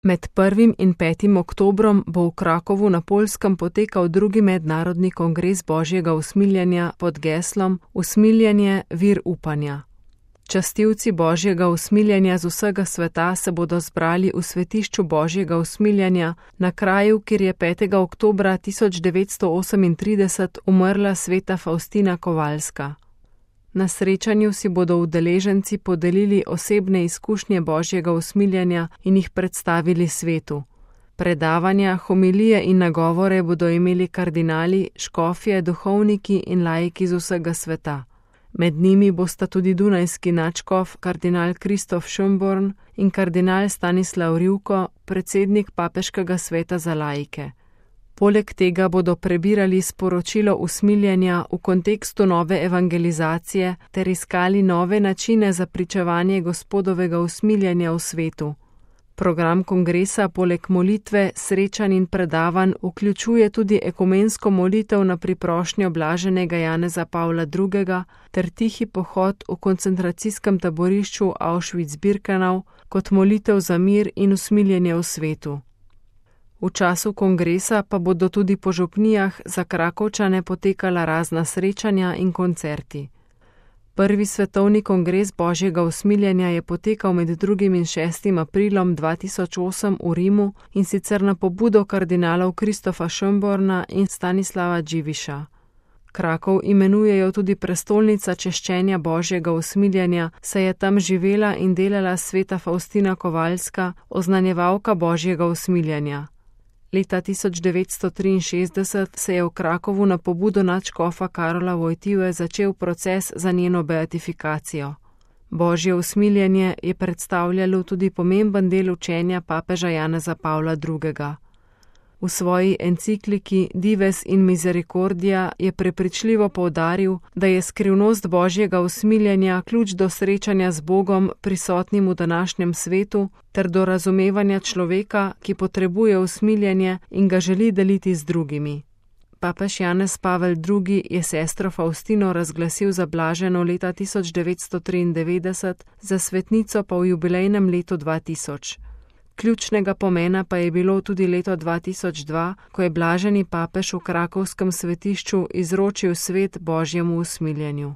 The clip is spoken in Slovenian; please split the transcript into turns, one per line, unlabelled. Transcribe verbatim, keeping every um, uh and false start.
Med prvim in petim oktobrom bo v Krakovu na Poljskem potekal drugi mednarodni kongres Božjega usmiljenja pod geslom Usmiljenje, vir upanja. Častilci Božjega usmiljenja z vsega sveta se bodo zbrali v svetišču Božjega usmiljenja na kraju, kjer je petega oktobra tisoč devetsto osemintrideset umrla sveta Faustina Kovalska. Na srečanju si bodo udeleženci podelili osebne izkušnje Božjega usmiljenja in jih predstavili svetu. Predavanja, homilije in nagovore bodo imeli kardinali, škofje, duhovniki in laiki z vsega sveta. Med njimi bosta tudi dunajski nadškof kardinal Kristof Schönborn in kardinal Stanislav Rivko, predsednik papeškega sveta za laike. Poleg tega bodo prebirali sporočilo usmiljenja v kontekstu nove evangelizacije ter iskali nove načine za pričevanje Gospodovega usmiljenja v svetu. Program kongresa poleg molitve, srečanj in predavanj vključuje tudi ekumensko molitev na priprošnjo blaženega Janeza Pavla drugega ter tihi pohod v koncentracijskem taborišču Auschwitz-Birkenau kot molitev za mir in usmiljenje v svetu. V času kongresa pa bodo tudi po župnijah za Krakovčane potekala razna srečanja in koncerti. Prvi svetovni kongres Božjega usmiljenja je potekal med drugim in šestim aprilom dva tisoč osem v Rimu in sicer na pobudo kardinalov Kristofa Schönborna in Stanislava Dziwisza. Krakov imenujejo tudi prestolnica češčenja Božjega usmiljenja, saj je tam živela in delala sveta Faustina Kovalska, oznanjevalka Božjega usmiljenja. Leta tisoč devetsto triinšestdeset se je v Krakovu na pobudo nadškofa Karola Wojtyły začel proces za njeno beatifikacijo. Božje usmiljenje je predstavljalo tudi pomemben del učenja papeža Janeza Pavla drugega. V svoji encikliki Dives in Misericordia je prepričljivo poudaril, da je skrivnost Božjega usmiljenja ključ do srečanja z Bogom prisotnim v današnjem svetu ter do razumevanja človeka, ki potrebuje usmiljenje in ga želi deliti z drugimi. Papež Janez Pavel drugi je sestro Faustino razglasil za blaženo leta tisoč devetsto triindevetdeset, za svetnico pa v jubilejnem letu dva tisoč. Ključnega pomena pa je bilo tudi leto dva tisoč dva, ko je blaženi papež v krakovskem svetišču izročil svet Božjemu usmiljenju.